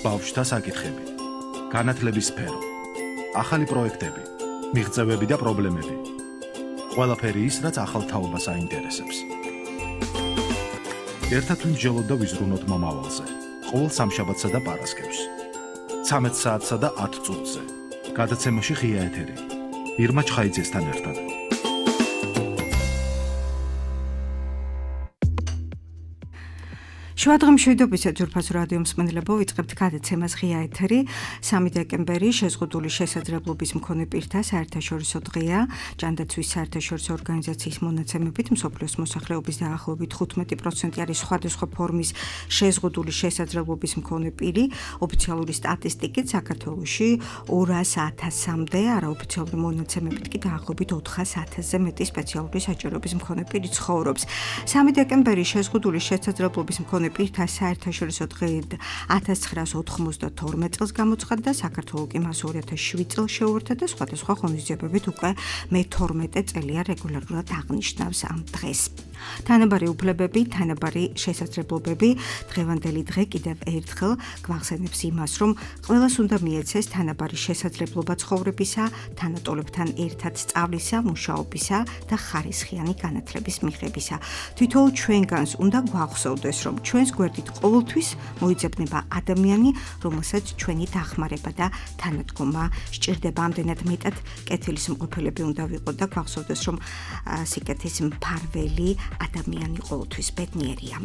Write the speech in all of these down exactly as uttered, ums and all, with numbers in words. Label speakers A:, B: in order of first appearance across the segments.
A: ბავშვთა საკითხები, განათლების სფერო, ახალი პროექტები, მიღწევები და პრობლემები. ყველაფერი ის, რაც ახალ თაობას აინტერესებს. ერთად ვიმსჯელოთ და ვიზრუნოთ მომავალზე. ყოველ სამშაბათსა და პარასკევს. ცამეტ საათსა და ათ წუთზე. გადაცემაში ღია ეთერი. ირმა ჩხაიძესთან ერთად.
B: შუადღე მშვიდობისა ძვირფასო რადიო მსმენელებო, ვიწყებთ გადაცემას ღია ეთერი. სამი დეკემბერი შეზღუდული შესაძლებლობის მქონე პირთა საერთაშორისო დღეა. ჯანდაცვის საერთაშორისო ორგანიზაციის მონაცემებით მსოფლიოს მოსახლეობის დაახლოებით თხუთმეტი პროცენტი არის სხვადასხვა ფორმის შეზღუდული შესაძლებლობის მქონე პირი. ოფიციალური სტატისტიკით საქართველოში ორას ათასამდე, არაოფიციალური მონაცემებით კი დაახლოებით ოთხას ათასზე მეტი სპეციალური საჭიროების მქონე პირი ცხოვრობს. სამი დეკემბერი შეზღუდული შესაძლებლობის მქონე პირთა საერთაშორისო დღე ათას ცხრაას ოთხმოცდათორმეტ წელს გამოცხადდა და საქართველო კი მას ორი ათას შვიდ წელს შეუერთდა და სხვადასხვა ღონისძიებებით უკვე მეთორმეტე წელია რეგულარულად აღნიშნავს ამ დღეს. თანაბარი უფლებები, თანაბარი შესაძლებლობები, დღევანდელი დღე კიდევ ერთხელ გვახსენებს იმას, რომ ყველას უნდა მიეცეს თანაბარი შესაძლებლობა ცხოვრებისა, თანატოლებთან ერთად სწავლისა, მუშაობისა და ხარისხიანი განათლების მიღებისა. თითოეულ ჩვენგანს უნდა გვახსოვდეს, რომ ჩვენს გვერდით ყოველთვის მოიძებნება ადამიანი, რომელსაც ჩვენი დახმარება და თანადგომა სჭირდება. ამდენად მეტად კეთილსმყოფელები უნდა ვიყოთ და გვახსოვდეს, რომ სიკეთის მფარველი ადამიანი ყოველთვის ბედნიერია.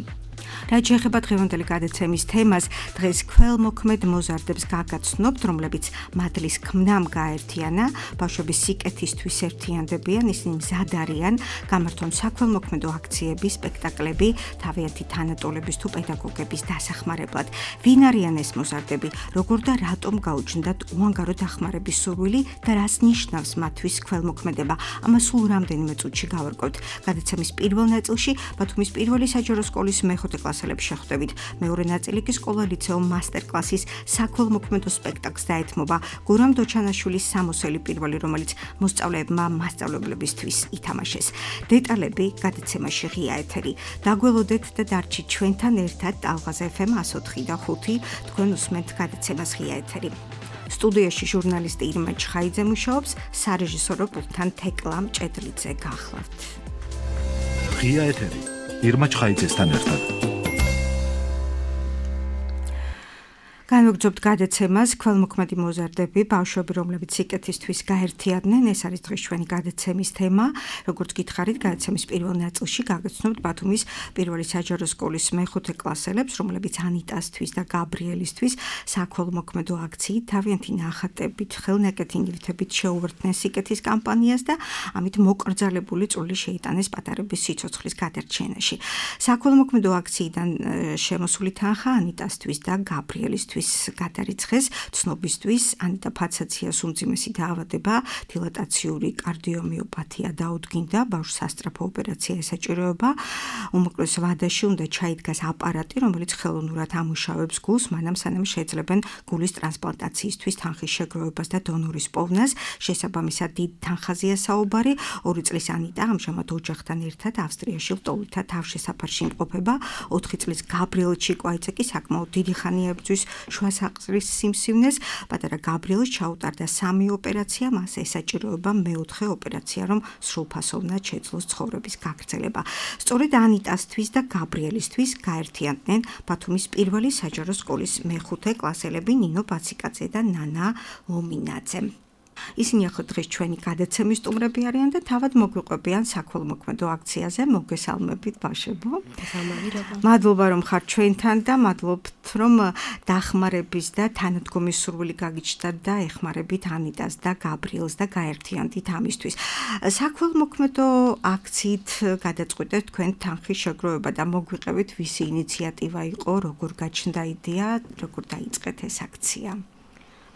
B: რაც შეეხება დღევანდელი გადაცემის თემას, დღეს ქველმოქმედ მოზარდებს გაგაცნობთ, რომლებიც მადლის ქმნამ გაერთიანა, ბავშვების სიკეთისთვის ერთიანდებიან, ისინი მზად არიან გამართონ საქველმოქმედო აქციები, სპექტაკლები, თავიანთი თანატოლების თუ პედაგოგების დასახმარებლად. ვინ არიან ეს მოზარდები, როგორ და რატომ გაუჩნდათ უანგარო დახმარების სურვილი და რას ნიშნავს მათთვის ქველმოქმედება? ამას სულ რამდენიმე წუთში გავარკვევთ. გადაცემის პირველ ნაწილში ბათუმის პირველი საჯარო სკოლის მეხუთე კლასელებს შეხვდებით. მეორე ნაწილი კი სკოლა-ლიცეო მასტერკლასის საქველმოქმედო სპექტაკლს დაეთმობა. გურამ დოჩანაშვილის სამოსელი პირველი, რომელიც მოსწავლეებმა მასწავლებლებისთვის ითამაშეს. დეტალები გადაცემაში ღია ეთერი. დაგველოდეთ და დარჩით ჩვენთან ერთად ტალღაზ ეფ ემ εκατო ოთხი და ხუთი. თქვენ უსმენთ გადაცემას ღია ეთერი. სტუდიაში ჟურნალისტი ირმა ჩხაიძე მუშაობს, სარეჟისორო პულტთან თეკლა მჭედლიძე გახლავთ.
A: ღია ეთერი. ირმა ჩხაიძესთან ერთად.
B: განვაგრძობთ გადაცემას ქველმოქმედი მოზარდები, ბავშვები, რომლებიც სიკეთისთვის გაერთიანდნენ. ეს არის დღეს ჩვენი გადაცემის თემა. როგორც გითხარით, გადაცემის პირველ ნაწილში გაგაცნობთ ბათუმის პირველი საჯარო სკოლის მეხუთე კლასელებს, რომლებიც ანიტასთვის და გაბრიელისთვის საქველმოქმედო აქციით თავიანთი ნახატებით, ხელნაკეთი ნივთებით შეუერთდნენ სიკეთის კამპანიას და ამით მოკრძალებული წვლილი შეიტანეს პატარების სიცოცხლის გადარჩენაში. საქველმოქმედო აქციიდან შემოსული თანხა ანიტასთვის და გაბრიელისთვის გადარიცხეს, ცნობისთვის ანიტა ფაცაციას უმძიმესი დაავადება, დილატაციური კარდიომიოპათია დაუდგინდა, ბავშვს სასწრაფო ოპერაცია ესაჭიროება, უმოკლეს ვადაში უნდა ჩაიდგას აპარატი, რომელიც ხელოვნურად ამუშავებს გულს, მანამ სანამ შეძლებენ გულის ტრანსპლანტაციისთვის თანხის შეგროვებას და დონორის პოვნას. შესაბამისად დიდ თანხაზეა საუბარი. ორი წლის ანიტა ამჟამად ოჯახთან ერთად ავსტრიაში ლტოლვილთა თავშესაფარში იმყოფება. ოთხი წლის გაბრიელ ჩიკვაიძე კი საკმაოდ დიდი ხანია ებრძვის შუა საყდრის სიმსივნეს. პატარა გაბრიელს ჩაუტარდა სამი ოპერაცია, მას ესაჭიროება მეოთხე ოპერაცია, რომ სრულფასოვნად შეძლოს ცხოვრების გაგრძელება. სწორედ ანიტასთვის და გაბრიელისთვის გაერთიანდნენ ბათუმის პირველი საჯარო სკოლის მეხუთე კლასელები ნინო ბაციკაძე და ნანა ლომინაძე. ისინი ახლა დღეს ჩვენი გადაცემის სტუმრები არიან და თავად მოგვიყვებიან საქველმოქმედო აქციაზე. მოგესალმებით ბავშვებო. მადლობა რომ ხართ ჩვენთან და მადლობთ რომ დახმარების და თანადგომის სურვილი გაგიჩნდათ და ეხმარებით ანიტას და გაბრიელს და გაერთიანდით ამისთვის. საქველმოქმედო აქციით გადაწყვეტეთ თქვენ თანხის შეგროვება და მოგვიყევით ვისი ინიციატივა იყო, როგორ გაჩნდა იდეა, როგორ დაიწყეთ ეს აქცია?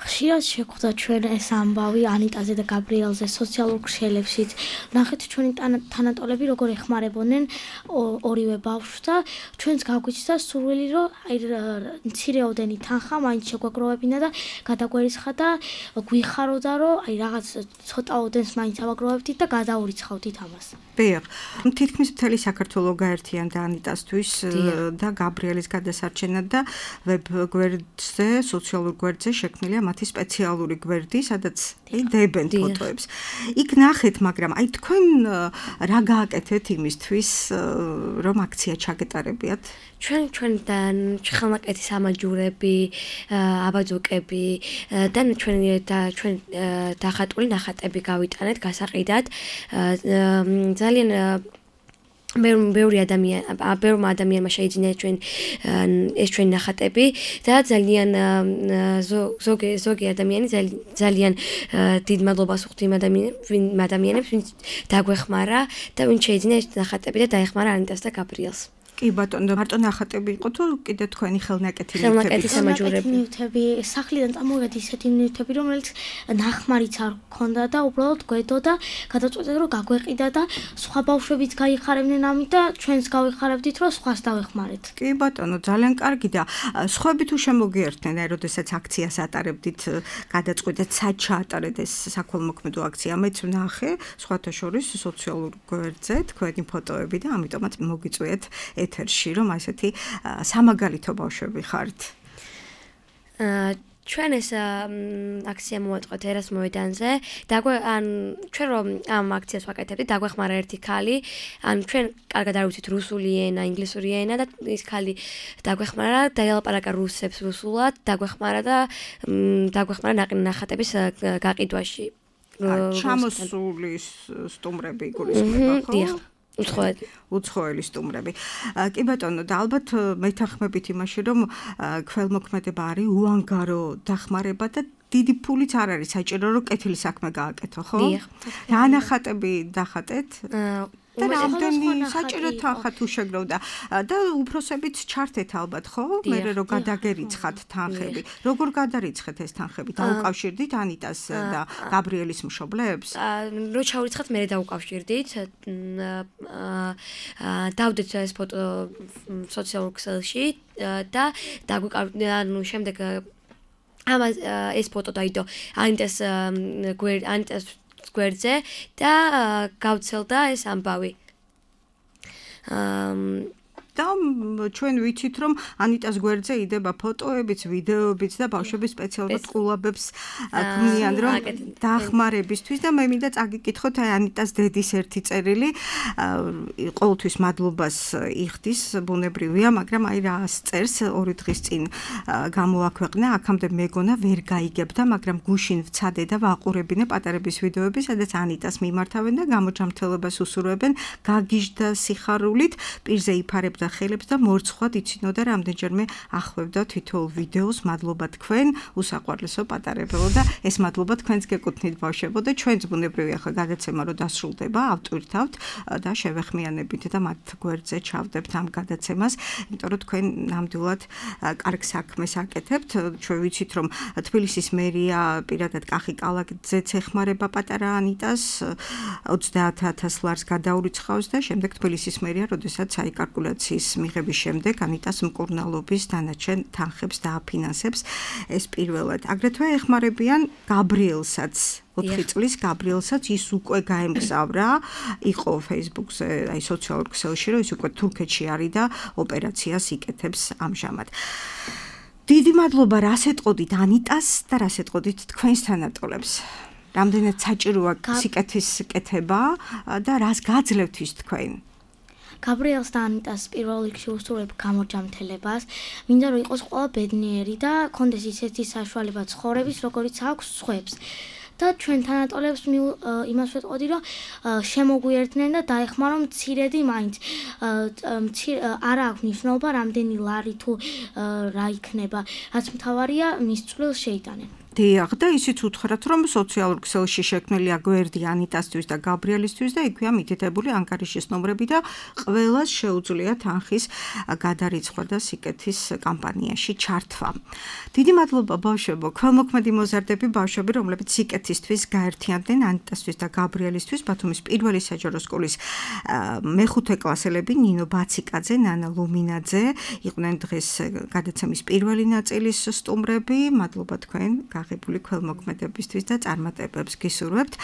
C: ხშირად შეხვდა ჩვენ ეს ამბავი ანიტაზე და გაბრიელზე სოციალურ ქსელებშიც. ნახეთ ჩვენი თანატოლები როგორ ეხმარებოდნენ ორივე ბავშვს და ჩვენც გაგვიჩნდა სურვილი რომ აი მცირეოდენი თანხა მაინც შეგვაგროვებინა და გადაგვერისხა და გვიხაროდა რომ აი რაღაც ცოტაოდენს მაინც ავაგროვებდით და გადაურიცხავდით ამას.
B: დიახ, თითქმის მთელი საქართველო გაერთიანდა ანიტასთვის და გაბრიელის გადასარჩენად და ვებ გვერდზე, სოციალურ გვერდზე შექმნილია მათი სპეციალური გვერდი, სადაც დებენ ფოტოებს. იქ ნახეთ, მაგრამ აი თქვენ რა გააკეთეთ იმისთვის, რომ აქცია ჩაგეტარებიათ?
D: ჩვენ ჩვენთან ხელნაკეთის ამაჯურები, აბაძოკები და ჩვენ და ჩვენ დახატული ნახატები გავიტანეთ გასაყიდად. ძალიან ბევრი ადამიანი, ბევრმა ადამიანმა შეიძინა ჩვენ ეს ჩვენი ნახატები და ძალიან ზოგი ზოგი ადამიანი ძალიან დიდ მადლობას ვუხდი იმ ადამიანებს, ვინც დაგვეხმარა და ვინც შეიძინა ეს ნახატები და დაეხმარა ანიტას და გაბრიელს.
B: კი ბატონო, მარტო ნახატები იყო თუ კიდე თქვენი ხელნაკეთი ნივთები?
D: ხელნაკეთის ამაჯურები.
C: ნივთები, სახლიდან წამოვედი ისეთი ნივთები, რომელიც ნახმარიც არ ქონდა და უბრალოდ გვედოდა, გადაწყვეტეთ რომ გაგვეყიდა და სხვა ბავშვებიც გაიხარებდნენ ამით და ჩვენც გავიხარებდით რომ სხვას დავეხმარეთ.
B: კი ბატონო, ძალიან კარგი და სხვები თუ შემოგიერთდნენ, აი როდესაც აქციას ატარებდით, გადაწყვეტეთ სად ჩაატარეთ ეს საქველმოქმედო აქცია. მეც ვნახე, სხვათა შორის სოციალურ გვერდზე თქვენი ფოტოები და ამიტომაც მოგიწვიეთ ეთერში, რომ ასეთი სამაგალითო ბავშვები ხართ.
D: ჩვენ ეს აქცია მოვატყოთ ერას მოედანზე. დაგვე ან ჩვენ რომ ამ აქციას ვაკეთებდით, დაგვეხმარა ერთი ქალი. ან ჩვენ კარგად არ ვიცით რუსული ენა, ინგლისური ენა და ის ქალი დაგვეხმარა, დაელაპარაკა რუსებს რუსულად, დაგვეხმარა და დაგვეხმარა ნახატების გაყიდვაში.
B: ჩამოსული სტუმრები გულისხმობა, ხო?
D: უცხოელი
B: უცხოელი სტუმრები. კი ბატონო, და ალბათ მეთანხმებით იმაში, რომ ქველმოქმედება არის უანგარო დახმარება და დიდი ფულიც არ არის საჭირო, რომ კეთილი საქმე გააკეთო, ხო?
D: დიახ.
B: რა ნახატები დახატეთ? და რამდენი საჭირო თანხა თუ შეგროვდა და უფროსებიც ჩართეთ ალბათ, ხო? მერე რომ გადაგერიცხათ თანხები. როგორ გადარიცხეთ ეს თანხები? დაუკავშირდით ანიტას და გაბრიელის მშობლებს?
D: რო ჩაურიცხათ, მერე დაუკავშირდით. დავდეთ ეს ფოტო სოციალურ ქსელში და დაგვიკავშირდით, ანუ შემდეგ ამას ეს ფოტო დაიდო ანიტას გვერდ ანიტას გვერდზე და გავცელდა ეს ამბავი.
B: და ჩვენ ვიცით, რომ ანიტას გვერდზე იდება ფოტოებიც, ვიდეოებიც და ბავშვები სპეციალურად ყულაბებს ქმნიან, რომ დახმარებისთვის და მე მინდა წაგიკითხოთ აი ანიტას დედის ერთი წერილი, ყოველთვის მადლობას იხდის, ბუნებრივია, მაგრამ აი რა წერს ორი დღის წინ გამოაქვეყნა, აქამდე მეგონა ვერ გაიგებდა, მაგრამ გუშინ ვცადე და ვაყურებინე პატარების ვიდეოები, სადაც ანიტას მიმართავენ და გამოჯამრთელებას უსურვებენ, გაგიჟდა სიხარულით, პირზე იფარებდა და ხელებს და მორცხვად იცინოდა რამდენჯერმე ახვევდა თითოეულ ვიდეოს. მადლობა თქვენ, უსაყვარლესო პატარებელო და ეს მადლობა თქვენს გეკუთვნით ბავშვებო და ჩვენც ბუნებრივია ხო გადაცემა რომ დასრულდება, ავტვირთავთ და შევეხმიანებით და მათ გვერდზე ჩავდებთ ამ გადაცემას, იმიტომ რომ თქვენ ნამდვილად კარგ საქმეს აკეთებთ. ჩვენ ვიცით რომ თბილისის მერია პირადად კახი კალაძეც ეხმარება პატარა ანიტას ოცდაათ ათას ლარს გადაურიცხავს და შემდეგ თბილისის მერია როდესაც საიკალკულაციო მიღების შემდეგ ანიტას მკურნალობის დანარჩენ თანხებს დააფინანსებს ეს პირველად. აგრეთვე ეხმარებიან გაბრიელსაც, ოთხი წლის გაბრიელსაც, ის უკვე გაემგზავრა, იყო Facebook-ზე, აი სოციალურ ქსელში, რომ ის უკვე თურქეთში არის და ოპერაციას იკეთებს ამჟამად. დიდი მადლობა, რას ეტყოდით ანიტას და რას ეტყოდით თქვენს თანატოლებს? რამდენად საჭიროა სიკეთის კეთება და რას გაძლევთ ის თქვენ?
C: გაბრიელს და ანიტას პირველ რიგში უსურვებ გამოჯამრთელებას, მინდა რომ იყოს ყველა ბედნიერი და კონდეს ისეთი საშუალება ცხოვრების, როგორიც აქვს სხვებს. და ჩვენ თანატოლებს იმას ვეტყოდი, რომ შემოგვიერთდნენ და დაეხმარონ მცირედი მაინც. არ აქვს მნიშვნელობა რამდენი ლარი თუ რა იქნება, რაც მთავარია მის წვლილს შეიტანენ.
B: დიახ, და ისიც უთხრათ, რომ სოციალურ ქსელში შექმნილია გვერდი ანიტასთვის და გაბრიელისთვის და იქვეა მითითებული ანგარიშის ნომრები და ყველას შეუძლია თანხის გადარიცხვა და სიკეთის კამპანიაში ჩართვა. დიდი მადლობა ბავშვებო, ქველმოქმედი მოზარდები ბავშვები, რომლებიც სიკეთისთვის გაერთიანდნენ ანიტასთვის და გაბრიელისთვის, ბათუმის პირველი საჯარო სკოლის მეხუთე კლასელები ნინო ბაციკაძე, ნანა ლუმინაძე იყვნენ დღეს გადაცემის პირველი ნაწილის სტუმრები. მადლობა თქვენ გაღებული ქველმოქმედებისთვის და წარმატებებს გისურვებთ.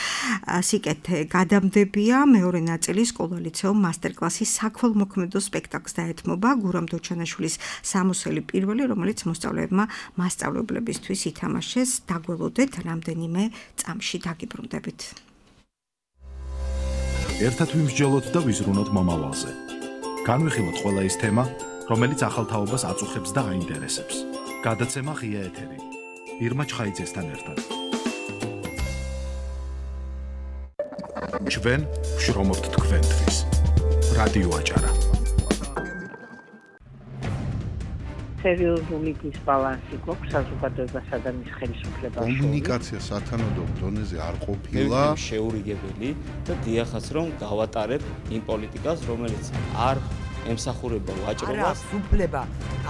B: სიკეთე გადამდებია მეორე ნაწილი სკოლა-ლიცეუმ მასტერკლასის საქველმოქმედო სპექტაკლს დაეთმობა გურამ დოჩანაშვილის სამოსელი პირველი, რომელიც მოსწავლეებმა მასწავლებლებისთვის ითამაშეს. დაგველოდეთ რამდენიმე წამში დაგიბრუნდებით.
A: ერთად ვიმსჯელოთ და ვიზრუნოთ მომავალზე. განვიხილოთ ყველა ის თემა, რომელიც ახალ თაობას აწუხებს და აინტერესებს. გადაცემა ღია ეთერი. ირმა ჩხაიძესთან ერთად. ჩვენ ვშრომობთ თქვენთვის. რადიო აჭარა.
E: სერიოზული დისბალანსი გვაქვს საზოგადოებასა და მის ხელისუფლებას.
F: კომუნიკაცია სათანადო დონეზე არ ყოფილა
G: შეურიგებელი და დიახაც რომ გავატარებ იმ პოლიტიკას, რომელიც არ ემსახურება ვაჭრობას.
H: არა, უფლება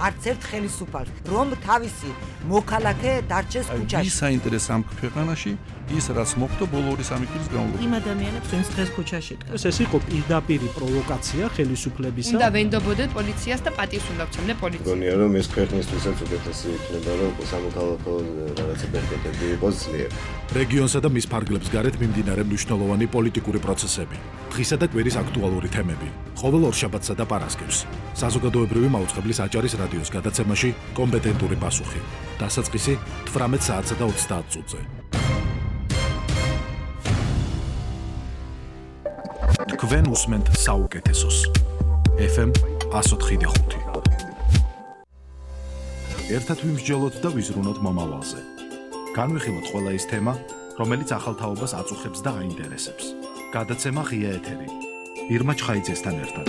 H: არც ერთ ხელისუფალს, რომ თავისი მოქალაქე დარჩეს ქუჩაში.
F: ის საინტერესო ამ ქვეყანაში ის რაც მოხდა ბოლო ორი სამი წლის განმავლობაში.
I: იმ ადამიანებს ვინც დღეს ქუჩაში დგას. ეს იყო პირდაპირ პროვოკაცია ხელისუფლებისა.
J: უნდა ვენდობოდეთ პოლიციას და პატივს უნდა ვცემდე პოლიციას.
K: გონია რომ ეს ქვეყნისთვისაც უკეთესი იქნება რომ სამოქალაქო რაღაცა ბერკეტები იყოს ძლიერ.
A: რეგიონსა და მის ფარგლებს გარეთ მიმდინარე მნიშვნელოვანი პოლიტიკური პროცესები. დღისა და კვირის აქტუალური თემები. ყოველ ორშაბათსა და პარასკევს. საზოგადოებრივი მაუწყებლის აჭარის რადიოს გადაცემაში კომპეტენტური პასუხი. დასაწყისი თვრამეტ საათსა და ოცდაათ წუთზე. თქვენ უსმენთ საუკეთესოს. ეფ ემ εκατო ოთხი და ხუთი. ერთად ვიმსჯელოთ და ვიზრუნოთ მომავალზე. განვიხილოთ ყველა ის თემა, რომელიც ახალ თაობას აწუხებს და აინტერესებს. გადაცემა ღია ეთერი. ირმა ჩხაიძესთან ერთად.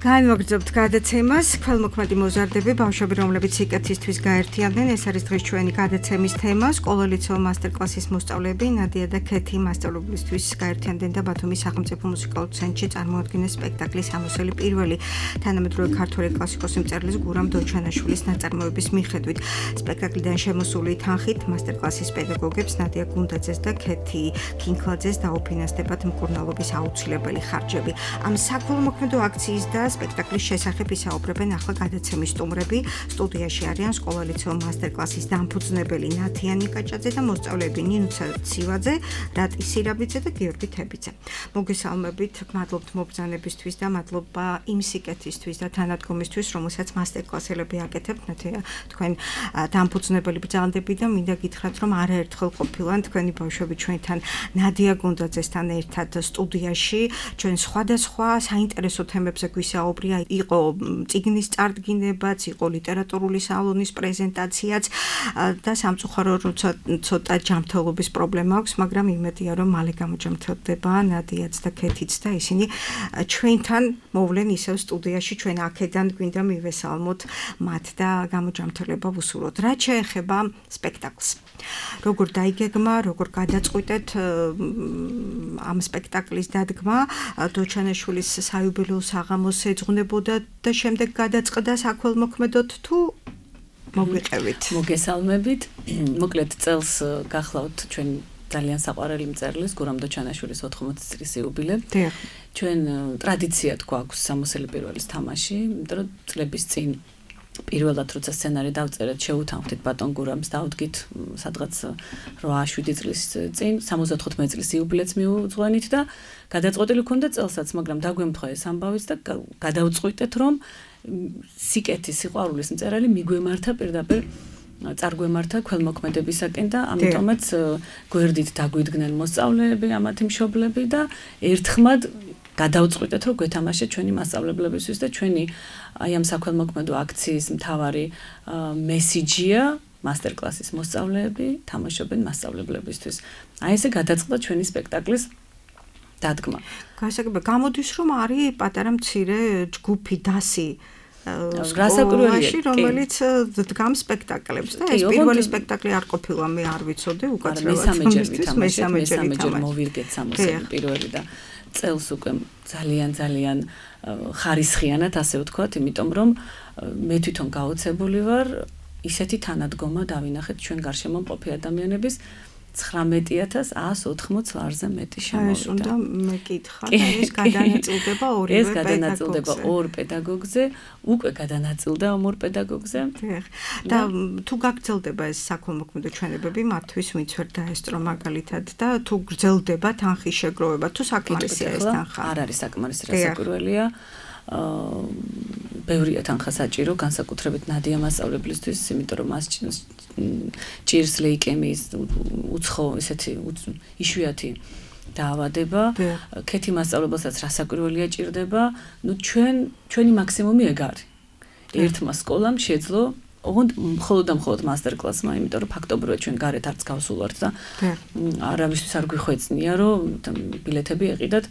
B: განვაგრძობთ გადაცემას. ქველმოქმედი მოზარდები ბავშვები, რომლებიც სიკეთისთვის გაერთიანდნენ. ეს არის დღეს ჩვენი გადაცემის თემა. სკოლა-ლიცეუმ მასტერკლასის მოსწავლეები ნადია და ქეთი მასწავლებლისთვის გაერთიანდნენ და ბათუმის სახელმწიფო მუსიკალურ ცენტრში წარმოადგენენ სპექტაკლის სამოსელი პირველი. თანამედროვე ქართველი კლასიკოს მწერლის გურამ დოჩანაშვილის ნაწარმოების მიხედვით სპექტაკლიდან შემოსული თანხით მასტერკლასის პედაგოგებს ნადია გუნდაძეს და ქეთი კინკლაძეს დაუფინანსდებათ მკურნალობის აუცილებელი ხარჯები. ამ საქველმოქმედო აქციის და სპექტაკლის შესახებ ისაუბრებენ ახლა გადაცემის სტუმრები. სტუდიაში არიან სკოლა-ლიცეუმ მასტერკლასის დამფუძნებელი ნათია ნიკაჭაძე და მოსწავლეები ნინუცა ცივაძე, რატი სირაბიძე და გიორგი თებიძე. მოგესალმებით, მადლობთ მობრძანებისთვის და მადლობა იმ სიკეთისთვის და თანადგომისთვის, რომელსაც მასტერკლასელები აკეთებთ. ნათია, თქვენ დამფუძნებელი ბრძანდები და მინდა გითხრათ, რომ არაერთხელ ყოფილან თქვენი ბავშვები ჩვენთან ნადია გუნდაძესთან ერთად სტუდიაში. ჩვენ სხვადასხვა საინტერესო თემებზე გვისაუბრია. იყო წიგნის წარდგინებაც, იყო ლიტერატურული სალონის პრეზენტაციაც და სამწუხარო ცოტა ჯანმრთელობის პრობლემა აქვს, მაგრამ იმედია რომ მალე გამოჯანმრთელდება ნადიაც და ქეთიც და ისინი ჩვენთან მოვლენ ისევ სტუდიაში. ჩვენ აქედან გვინდა მივესალმოთ მათ და გამოჯანმრთელება ვუსურვოთ. რაც შეეხება სპექტაკლს, როგორ დაიგეგმა, როგორ გადაწყვიტეთ ამ სპექტაკლის დადგმა, დოჩანაშვილის საიუბილეო საღამოს ეძღვნებოდა და შემდეგ გადაწყდა საქველმოქმედოდ თუ მოგვიყევით?
L: მოგესალმებით. მოკლედ წელს გახლავთ ჩვენ ძალიან საყვარელი მწერლის გურამ დოჩანაშვილის ოთხმოცი წლის იუბილე. ჩვენ ტრადიციად გვაქვს სამოსელი პირველის თამაში, იმიტომ რომ წლების წინ პირველად როცა სცენარი დავწერეთ, შეუთანხმდით ბატონ გურამს, დავდგით სადღაც რვა შვიდი წლის წინ, სამოცდათხუთმეტი წლის იუბილეც მიუძღვენით და გადაწყვეტილი ქონდა წელსაც, მაგრამ დაგვემთხვა ეს ამბავიც და გადავწყვიტეთ, რომ სიკეთის სიყვარულის მწერალი მიგვემართა პირდაპირ წარგვემართა ქველმოქმედებისაკენ და ამიტომაც გვერდით დაგვიდგნენ მოსწავლეები, ამათი მშობლები და ერთხმად გადავწყვიტეთ, რომ გვეთამაშეთ ჩვენი მასწავლებლებისთვის და ჩვენი აი ამ საქველმოქმედო აქციის მთავარი მესიჯია მასტერკლასის მოსწავლეები თამაშობენ მასწავლებლებისთვის. აი ესე გადაწყდა ჩვენი სპექტაკლის დადგმა.
B: გასაგებია, გამოდის რომ არის პატარა მცირე ჯგუფი დასი სკოლაში, რომელიც დგამს სპექტაკლებს და ეს პირველი სპექტაკლი არ ყოფილა, მე არ ვიცოდი უკაცრავად.
L: მესამე ჯერ მოვირგეთ სამოსელი პირველი და წელს უკვე ძალიან ძალიან ხარისხიანად ასე ვთქვათ, იმიტომ რომ მე თვითონ გაოცებული ვარ ისეთი თანადგომა დავინახეთ ჩვენ გარშემო მყოფი ადამიანების ცხრამეტი ათას ათს ოცდაოთხ ლარზე მეტი შემოვიდა.
B: ეს უნდა მეკითხა, ეს გადანაწილდება ორივე
L: ეს გადანაწილდება ორ პედაგოგზე, უკვე გადანაწილდა ორ პედაგოგზე.
B: და თუ გაგრძელდება ეს საქველმოქმედო ჩვენებები, მათთვის ვინც ვერ დაესწრო მაგალითად და თუ გრძელდება თანხის შეგროვება, თუ საკმარისია ეს თანხა.
L: არ არის საკმარისი, რასაკვირველია. აა ბევრია თანხა საჭირო, განსაკუთრებით ნადია მასწავლებლისთვის, იმიტომ რომ მას ჭირს ლეიკემიის უცხო ესეთი იშვიათი დაავადება. ქეთი მასწავლებელსაც რასაკვირველია ჭირდება. ნუ ჩვენ ჩვენი მაქსიმუმი ეგ არის. ერთმა სკოლამ შეძლო ოღონდ მხოლოდ და მხოლოდ მასტერ-კლასმა, იმიტომ რომ ფაქტობრივად ჩვენ გარეთ არც გავსულვართ და არავისთვის არ გვიხვეწნია, რომ ბილეთები ეყიდათ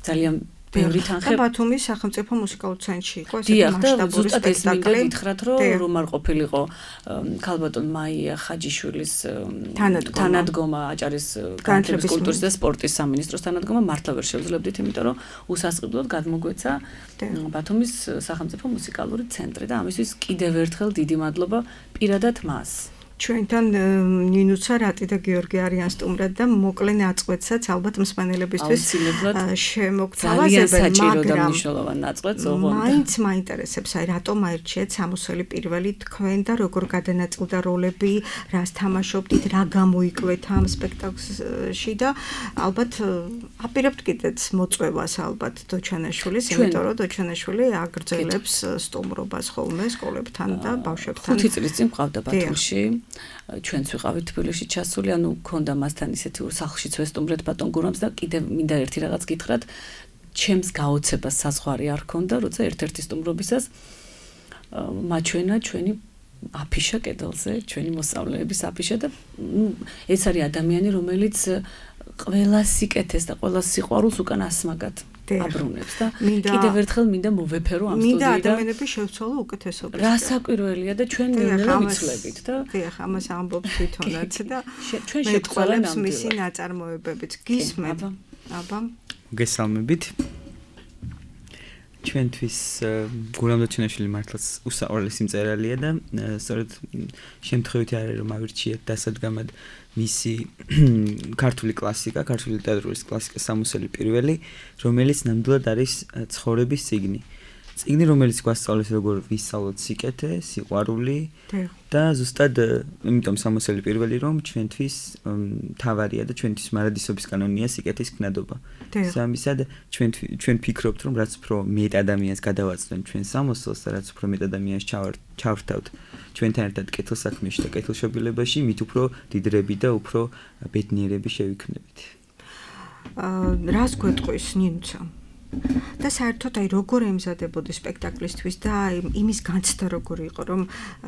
L: ძალიან ბევრი თანხა.
B: და ბათუმის სახელმწიფო მუსიკალურ ცენტრში იყო
L: ესეთი მასშტაბური სპექტაკლი. გითხრათ, რომ რომ არ ყოფილიყო ქალბატონ მაია ხაჯიშვილის თანადგომა აჭარის განათლების კულტურის და სპორტის სამინისტროს თანადგომა მართლა ვერ შევძლებდით, იმიტომ რომ უსასყიდლოდ გადმოგვეცა ბათუმის სახელმწიფო მუსიკალური ცენტრი და ამისთვის კიდევ ერთხელ დიდი მადლობა პირადად მას.
B: ჩვენთან ნინუცა რატი და გიორგი არიან სტუმრად და მოკლე ნაწყვეტსაც ალბათ მსმენელებისთვის შემოგთავაზებენ,
L: მაგრამ მნიშვნელოვანი ნაწყვეტს ოღონდ
B: მაინც მაინტერესებს, აი რატომ აირჩიეთ სამოსელი პირველი თქვენ და როგორ გადანაწილდა როლები, რას თამაშობდით, რა გამოიკვეთ ამ სპექტაკლში და ალბათ აპირებთ კიდეც მოწვევას ალბათ დოჩანაშვილის, იმიტომ რომ დოჩანაშვილი აგრძელებს სტუმრობას ხოლმე სკოლებთან და ბავშვებთან.
L: ხუთი წლის წინ მყავდა ბათუმში. ჩვენც ვიყავით თბილისში ჩასული, ანუ ქონდა მასთან ისეთი სახლშიც ვესტუმრეთ ბატონ გურამს და კიდევ მინდა ერთი რაღაც გითხრათ, ჩემს გაოცებას საზღვარი არ ქონდა, როცა ერთ-ერთი სტუმრობისას მაჩვენა ჩვენი აფიშა კედელზე, ჩვენი მოსწავლეების აფიშა და ეს არის ადამიანი, რომელიც ყველა სიკეთეს და ყველა სიყვარულს უკან ასმაგად აბრუნებს და კიდევ ერთხელ მინდა მოვეფერო ამ სტუდიიდან.
B: მინდა ადამიანები შევცვალო უკეთესობას.
L: რასაკვირველია და ჩვენ ნელ-ნელა ვიცვლებით და
B: დიახ, ამას ამბობს თვითონაც და ჩვენ შევცვალებს მისი ნაწარმოებებიც. გისმენთ? აბა.
M: გესალმებით. ჩვენთვის გურამ დოჩენაშვილი მართლაც უსაყვარლესი მწერალია და სწორედ შემთხვევითი არის რომ ავირჩიეთ დასადგამად მისი ქართული კლასიკა, ქართული ლიტერატურის კლასიკა სამოსელი პირველი, რომელიც ნამდვილად არის ცხოვრების წიგნი. წიგნი, რომელიც გვასწავლებს როგორ ვისწავლოთ სიკეთე, სიყვარული და ზუსტად იმიტომ სამოსელი პირველი რომ ჩვენთვის თავარია და ჩვენთვის მარადისობის კანონია სიკეთის ქნადობა. სამისად ჩვენ ჩვენ ფიქრობთ რომ რაც უფრო მეტ ადამიანს გადავაცნოთ ჩვენ სამოსელს და რაც უფრო მეტ ადამიანს ჩავრთავთ ჩვენთან ერთად კეთილსაქმეში და კეთილშობილებაში, მით უფრო დიდრები და უფრო ბედნიერები შევიქმნებით.
B: აა რას გვეტყვის ნინუცა? და საერთოდ აი როგორ ემზადებოდი სპექტაკლისთვის და აი იმის განცდა როგორი იყო რომ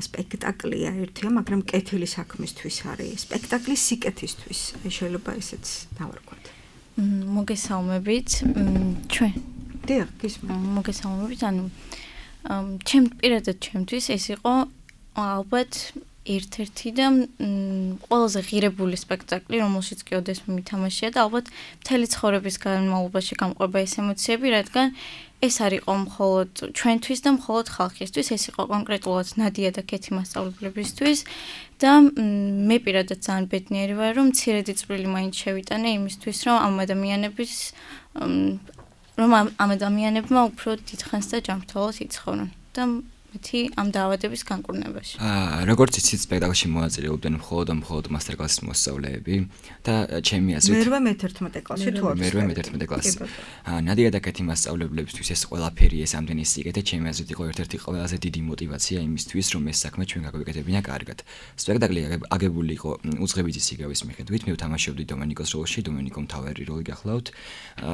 B: სპექტაკლია ერთია, მაგრამ კეთილი საქმისთვის არის, სპექტაკლის სიკეთისთვის. აი შეიძლება ესეც დავარქვათ.
N: მოგესალმებით. ჩვენ
B: დიახ, გისმენთ.
N: მოგესალმებით. ანუ ჩემ პირადად ჩემთვის ეს იყო ალბათ ერთ-ერთი და ყველაზე ღირებული სპექტაკლი, რომელშიც კი ოდესმე მითამაშია და ალბათ მთელი ცხოვრების განმავლობაში გამყვება ეს ემოციები, რადგან ეს არ იყო მხოლოდ ჩვენთვის და მხოლოდ ხალხისთვის, ეს იყო კონკრეტულად ნადია და ქეთი მასწავლებლებისთვის და მე პირადად ძალიან ბედნიერი ვარ, რომ მცირედი წვლილი მაინც შევიტანე იმისთვის, რომ ამ ადამიანების რომ ამ ადამიანებმა უფრო დიდხანს და ჯანმრთელად იცხოვრონ და მეთი ამ დაავადების განკურნებაში.
O: აა როგორც იცით, სპექტაკლში მონაწილეობდნენ მხოლოდ და მხოლოდ მასტერ-კლასის მოსწავლეები და ჩემი აზრით
B: მერვე მეთერთმეტე კლასში თუ არის.
O: მერვე მეთერთმეტე კლასი. აა ნადია და კეთი მასწავლებლებისთვის ეს ყველაფერი ეს ამდენი სიკეთე ჩემი აზრით იყო ერთ-ერთი ყველაზე დიდი мотиваცია იმისთვის, რომ ეს საქმე ჩვენ გაგვეკეთებინა კარგად. სპექტაკლი აგებული იყო უძღებითი სიგავის მიხედვით, მე ვთამაშობდი დომენიკოს როლში, დომენიკო მთავარი როლი გახლავთ.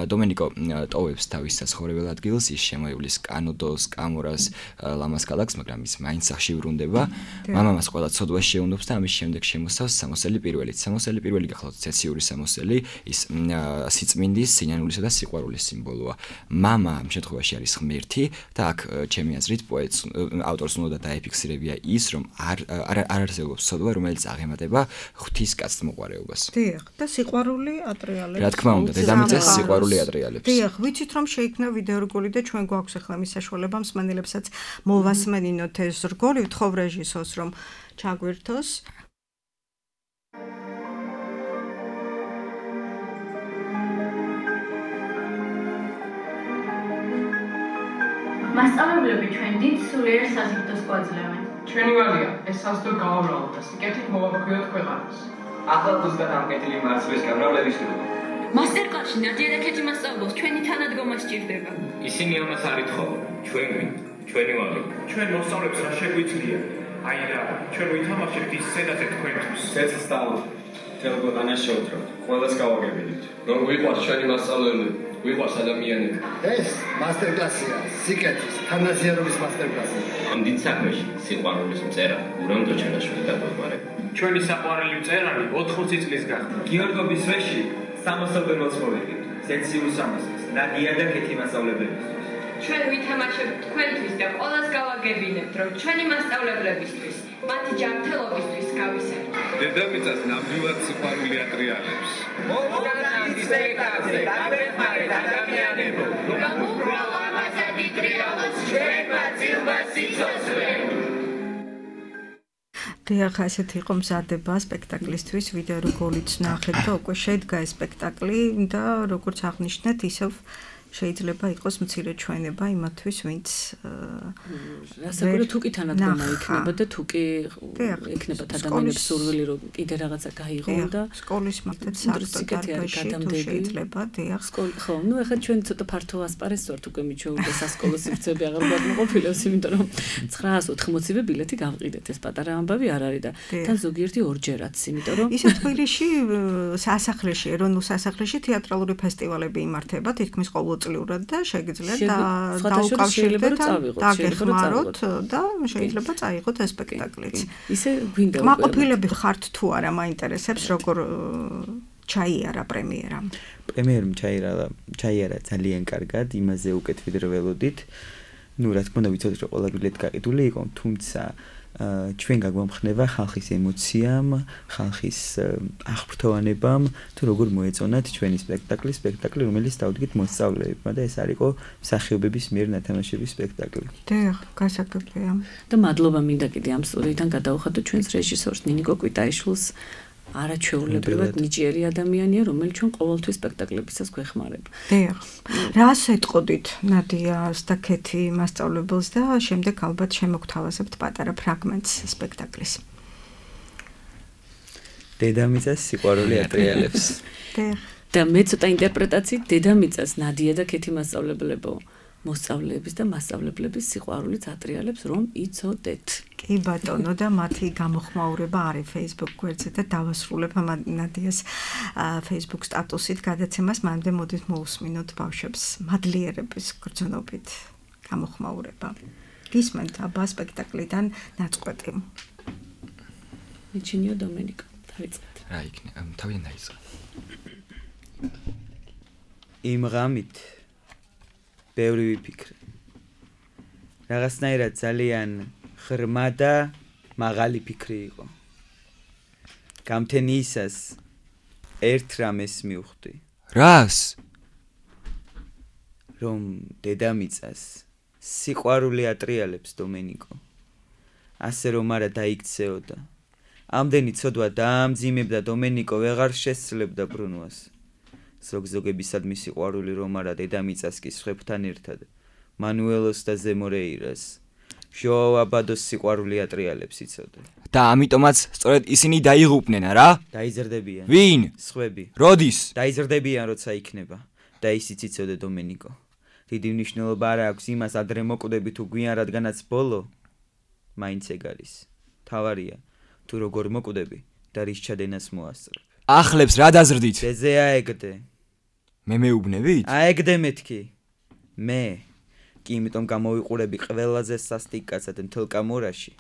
O: დომენიკო ტოვებს თავის საცხოვრებელ ადგილს, ის შემოევლის კანოდოს, კამორას, ლამას ქალაქს, მაგრამ ის მაინც სახში ვრუნდება. მამამას ყველა ცოდვა შეუნდობს და ამის შემდეგ შემოსავს სამოსელი პირველით. სამოსელი პირველი გახლავთ ცეციური სამოსელი, ის სიწმინდის, სინანულისა და სიყვარულის სიმბოლოა. მამა ამ შემთხვევაში არის ღმერთი და აქ ჩემი აზრით პოეტს ავტორს უნდა დაეფიქსირებია ის, რომ არ არ არსებობს ცოდვა, რომელიც აღემატება ღვთისკაცთ მოყვარეობას.
B: დიახ, და სიყვარული ატრიალებს.
O: რა თქმა უნდა, დედამიწას სიყვარული ატრიალებს.
B: დიახ, ვიცით რომ შეიქმნა ვიდეო რგოლი და ჩვენ გვაქვს ახლა მის საშუალება მსმენელებსაც მოვასმენინოთ ეს რგოლი, ვთხოვ რეჟისორს რომ ჩაგვირთოს.
P: მასწავლებლები ჩვენ დიდ სულიერ საზრდოს გვაძლევენ. ჩვენი ვალია ეს საზრდო გავავლოთ და სიკეთით მოვაქვიოთ ქვეყანას.
Q: ახლა ზუსტად ამ კეთილი მარცვლის გამრავლების დროა.
P: მასტერკლასში ნადია და ქეთი მასწავლებლებს ჩვენი თანადგომა სჭირდება.
Q: ისინი ამას არ ითხოვენ. ჩვენ გვინდა, ჩვენი ვალია.
P: ჩვენ მოსწავლებს რა შეგვიძლია? აი რა, ჩვენ ვითამაშებთ ის სცენაზე თქვენთვის.
Q: ცეცხლს დავუშვით. თელ ქვეყანას შევძრავთ. ყველას გავაგებინეთ. რომ გვიყვარს ჩვენი მასწავლებლები. გვიყვარს ადამიანები.
R: ეს მასტერკლასია, სიკეთის, თანაზიარობის მასტერკლასია.
Q: ამ დიდ საქმეში სიყვარულის მწერა ურამდო ჩანაშვილი დაგვეყარება.
P: ჩვენი საყვარელი მწერალი ოთხმოცი წლის გახდა.
Q: გიორგობის ვეში სამოსელბელოს მოვიგეთ. სექციურ სამოსელს, ნადია და ქეთი მასწავლებლებისთვის.
P: ჩვენ ვითამაშებთ თქვენთვის და ყველას გავაგებინებთ, რომ ჩვენი მასწავლებლებისთვის, მათი ჯანმრთელობისთვის გავისერთ. დედამიწას ნამდვილად სიყვარული ატრიალებს.
Q: მოგანახეთ სპექტაკლზე, გამეხმარეთ ადამიანებო.
P: გამოგრალ ამასა დიდ რეალობას ჩვენმა ძილმა სიცოცხლე.
B: დიახ, ასეთი იყო მზადება სპექტაკლისთვის, ვიდეო რგოლიც ნახეთ და უკვე შედგა ეს სპექტაკლი და როგორც აღნიშნეთ, ისევ შეიძლება იყოს მცირე ჩვენება იმათთვის, ვინც
L: რასაკვირველია თუ კი თანადგომა იქნება და თუ კი იქნება ადამიანებს სურვილი რომ კიდე რაღაცა გაიღონ და
B: სკოლის მაგათ საერთოდ შეიძლება დიახ
L: ხო ნუ ახლა ჩვენ ცოტა ფართო ასპარეზს ვართ უკვე მიჩვეულ და სასკოლო სივრცეები აღარ გვაყოფილებს იმიტომ რომ ცხრაას ოთხმოცივე ბილეთი გავყიდეთ ეს პატარა ამბავი არ არის და თან ზოგიერთი ორჯერაც იმიტომ რომ
B: ისე თბილისში სასახლეში ეროვნულ სასახლეში თეატრალური ფესტივალები იმართება თითქმის ყოველ წლიურად და შეგიძლიათ დაუკავშირდეთ დაგეხმაროთ და შეიძლება წაიღოთ ეს სპექტაკლიც.
L: ისე გვინდა
B: მაყოფილები ხართ თუ არა მაინტერესებს როგორ ჩაიარა პრემიერა.
M: პრემიერამ ჩაიარა ჩაიარა ძალიან კარგად, იმაზე უკეთ ვიდრე ველოდით. ნუ რა თქმა უნდა ვიცოდით რომ ყველა ბილეთი გაყიდული იყო, თუმცა ჩვენ გაგვამხნევა ხალხის ემოციამ, ხალხის აღფრთოვანებამ, თუ როგორ მოეწონათ ჩვენი სპექტაკლი, სპექტაკლი, რომელიც დავდგით მოსწავლეებმა და ეს არისო მსახიობების მიერ ნათამაშების სპექტაკლი.
B: დიახ, გასაგებია.
L: და მადლობა მინდა კიდე ამ სტუდიიდან გადავხადო ჩვენს რეჟისორს ნინიკო კვიტაიშვილს. არაჩვეულებრივად ნიჭიერი ადამიანია, რომელიც ჩვენ ყოველთვის სპექტაკლებისას გვეხმარება.
B: დიახ. რას ეტყოდით ნადიას და ქეთი მასწავლებელს და შემდეგ ალბათ შემოგთავაზებთ პატარა ფრაგმენტს სპექტაკლის.
M: დედამიწას სიყვარული ატრიალებს.
B: დიახ.
L: და მე ცოტა ინტერპრეტაციით დედამიწას ნადია და ქეთი მასწავლებლებო მოსწავლეების და მასწავლებლების სიყვარულიც ატრიალებს რომ იცოდეთ.
B: კი ბატონო და მათი გამოხმაურება არის Facebook გვერდზე და დავასრულებ ნადიას Facebook სტატუსით გადაცემას, მანამდე მოდით მოусმინოთ ბავშვებს მადლიერების გრძნობით გამოხმაურება. გისმენთ აბა სპექტაკლიდან ნაწყვეტი.
L: მიჩინიო დომენიკო, დავიწყეთ.
O: რა იქნება? თავიდან დაიწყე.
M: იმ ღამით ბევრი ვიფიქრე. რაღაცნაირად ძალიან ღრმა და მაღალი ფიქრი იყო. გამთენიისას ერთ რამეს მივხვდი.
O: რას?
M: რომ დედამიწას სიყვარული ატრიალებს დომენიკო. ასე რომ არა დაიქცეოდა. ამდენი ცოდვა დაამძიმებდა დომენიკო ვეღარ შესძლებდა ბრუნვას. ზოგზოგებისადმი სიყვარული რომ არა დედამიწას კი სხვებთან ერთად მანუელოს და ზემორეირას ჟოაო აბადოს სიყვარული ატრიალებს იცოდა
O: და ამიტომაც სწორედ ისინი დაიღუპნენ რა?
M: დაიზრდებიან.
O: ვინ?
M: სხვები.
O: როდის?
M: დაიზრდებიან როცა იქნება და ისიც იცოდა დომენიკო. დიდი მნიშვნელობა არ აქვს იმას ადრე მოკვდები თუ გვიან რადგანაც ბოლო მაინც ეგ არის. თავარია თუ როგორ მოკვდები და რის ჩადენას მოასწრებ.
O: ახლებს რა დაზრდით?
M: ბეზე აეგდე.
O: მე მეუბნებით?
M: აეგდე მეთქი. მე კი იმიტომ გამოვიყურები ყველაზე სასტიკ კაცად მთელ კამორაში,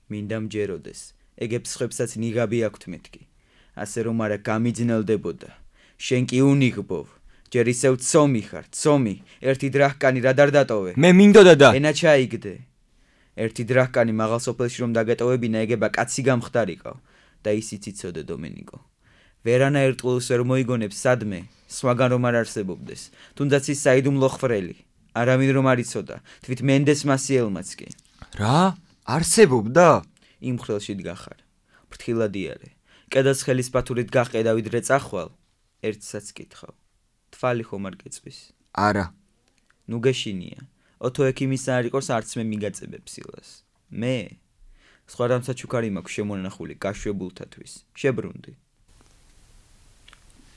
M: მინდა მჯეროდეს, ეგებს ხებსაც ნიღაბი აქვთ მეთქი, ასე რომ არა გამიძნელდებოდა, შენ კი უნიღბოვ, ჯერ ისევ ცომი ხარ, ცომი, ერთი დრახკანი რა დარდატოვე.
O: მე მინდოდა და
M: ენა ჩაიგდე. ერთი დრახკანი მაღალ სოფელში რომ დაგეტოვებინა, ეგება კაცი გამხდარიყო და ისიც იცოდე დომენიკო. ვერანა ერთყულს ვერ მოიგონებს სადმე, სხვაგან რომ არ არსებობდეს, თუნდაც ის საიდუმლო ხრელი, არავინ რომ არ იცოდა, თვით მენდეს მასიელმაც კი.
O: რა? არსებობდა?
M: იმ ხრელში დგახარ. ფრთხილად იარე. კედელს ხელის პათურით გაყე და ვიდრე წახვალ, ერთსაც კითხავ. თვალი ხომ არ გეწვის?
O: არა.
M: ნუ გეშინია. ოთო ექიმისა არ იყოს არც მე მიგაწებებ სილას. მე სხვა რამცა ჩუქარი მაქვს შემონახული გაშვებულთათვის. შებრუნდი.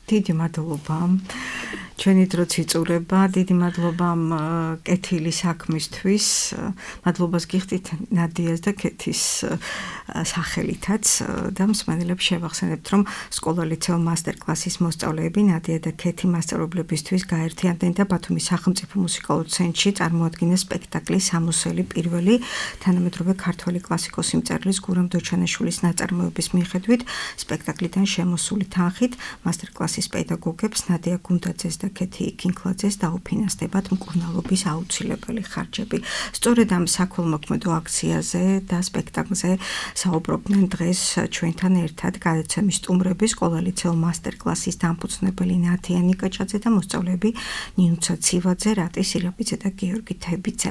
B: დიდი მადლობა. ჩვენი დროც იწურება, დიდი მადლობა კეთილი საქმისთვის. მადლობას გიხდით ნადიას და კეთის სახელითაც და მსმენელებს შევახსენებთ, რომ სკოლა-ლიცეო მასტერკლასის მოსწავლეები ნადია და კეთი მასწავლებლებისთვის გაერთიანდნენ და ბათუმის სახელმწიფო მუსიკალურ ცენტრში წარმოადგინეს სპექტაკლი სამოსელი პირველი თანამედროვე ქართველი კლასიკოსი მწერლის გურამ დოჩანაშვილის ნაწარმოების მიხედვით სპექტაკლიდან შემოსული თანხით მასტერკლასის პედაგოგებს ნადია გუნდაძეს და კეთი კინკლაძეს დაუფინანსდებათ მკურნალობის აუცილებელი ხარჯები. სწორედ ამ საქველმოქმედო აქციაზე და სპექტაკლზე საუბრობდნენ დღეს ჩვენთან ერთად გადაცემის სტუმრები სკოლა-ლიცეო მასტერკლასის დამფუძნებელი ნათია ნიკაჭაძე და მოსწავლეები ნინუცა ცივაძე, რატი სირაბიძე და გიორგი თებიძე.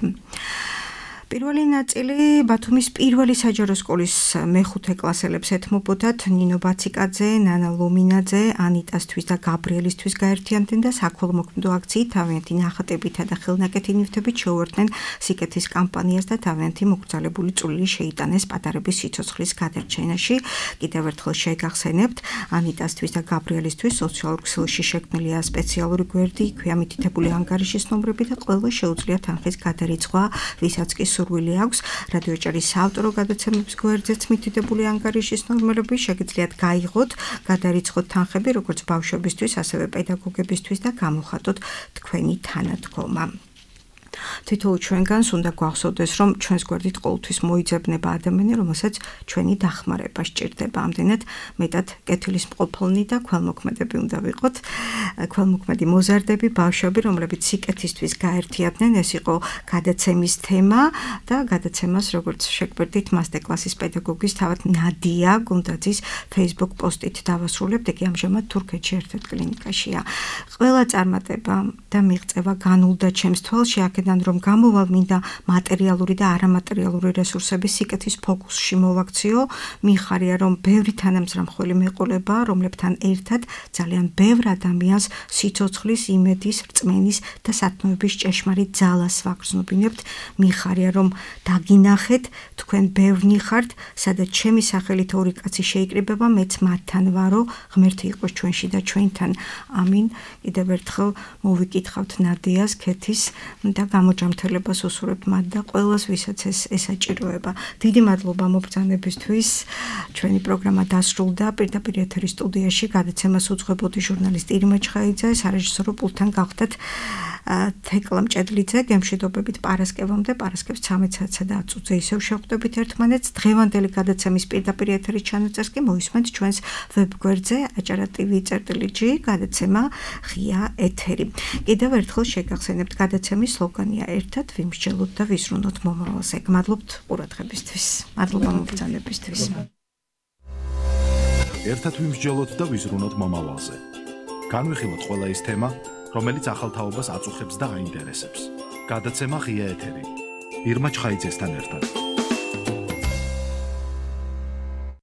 B: პირველი ნაწილი ბათუმის პირველი საჯარო სკოლის მეხუთე კლასელებს ეთმობოდათ ნინო ბაციკაძე, ნანა ლომინაძე, ანიტასთვის და გაბრიელისთვის გაერთიანდნენ და საქველმოქმედო აქციით თავიანთი ნახატებითა და ხელნაკეთი ნივთებით შეუერთდნენ სიკეთის კამპანიას და თავიანთი მოგრძალებული წვლილი შეიტანეს პატარების სიცოცხლის გადარჩენაში. კიდევ ერთხელ შეგახსენებთ, ანიტასთვის და გაბრიელისთვის სოციალურ ქსელში შექმნილია სპეციალური გვერდი, იქვეა მითითებული ანგარიშის ნომრები და ყველა შეუძლია თანხის გადარიცხვა, ვისაც კი სურვილი აქვს რადიოჭერის საავტორო გადაცემების გვერდზეც მითითებული ანგარიშის ნორმები შეგიძლიათ გაიღოთ, გადარიცხოთ თანხები როგორც ბავშვებისთვის, ასევე პედაგოგებისთვის და გამოხატოთ თქვენი თანადგომა. თითოეულ ჩვენგანს უნდა გვახსოვდეს, რომ ჩვენს გვერდით ყოველთვის მოიძებნება ადამიანი, რომელსაც ჩვენი დახმარება სჭირდება. ამდენად მეტად კეთილისმყოფელნი და ქველმოქმედები უნდა ვიყოთ. ქველმოქმედი მოზარდები, ბავშვები, რომლებიც სიკეთისთვის გაერთიანდნენ, ეს იყო გადაცემის თემა და გადაცემას, როგორც შეგვერდით, მასტერკლასის პედაგოგის თავად ნადია გუნდაძის Facebook პოსტით დავასრულებთ. იგი ამჟამად თურქეთში ერთ-ერთ კლინიკაშია. ყველა წარმატება და მიღწევა განულდა ჩემს თვალში, აქედან რომ გამოვალ მინდა მატერიალური და არამატერიალური რესურსების სიკეთის ფოკუსში მოვაქციო. მიხარია, რომ ბევრი თანამძრამხველი მეყოლება, რომლებთან ერთად ძალიან ბევრ ადამიანს სიცოცხლის, იმედის, რწმენის და სათნოების ჭეშმარიტ ძალას ვაგრძნობინებთ. მიხარია, რომ დაგინახეთ, თქვენ ბევრნი ხართ, სადაც ჩემი სახელით ორი კაცი შეიკრიბება, მეც მათთან ვარო, ღმერთი იყოს ჩვენში და ჩვენთან. ამინ. კიდევ ერთხელ მოვიკითხავთ ნადიას, კეთის და გამოჯამთელებას უსურვებთ მათ და ყველას, ვისაც ეს ესაჭიროება. დიდი მადლობა მობრძანებისთვის. ჩვენი პროგრამა დასრულდა. პირდაპირ ეთერის სტუდიაში გადაცემას უძღვებოდი ჟურნალისტი ირმა ჩხაიძე, სარეჟისორო პულტთან გახდათ თეკლა მჭედლიძე. გემშვიდობებით პარასკევამდე, პარასკევს ცამეტ საათსა და ათს წუთზე ისევ შევხვდებით ერთმანეთს. დღევანდელი გადაცემის პირდაპირ ეთერის ჩანაწერს კი მოისმენთ ჩვენს ვებგვერდზე acara.tv.gr გადაცემა ღია ეთერი. კიდევ ერთხელ შეგახსენებთ გადაცემის სლოგანია ერთად ვიმსჯელოთ და ვიზრუნოთ მომავალზე. გმადლობთ ყურადღებისთვის. მადლობა მობრძანებისთვის.
A: ერთად ვიმსჯელოთ და ვიზრუნოთ მომავალზე. განვიხილოთ ყველა ის თემა, რომელიც ახალ თაობას აწუხებს და აინტერესებს. გადაცემა ღია ეთერი. ირმა ჩხაიძესთან ერთად.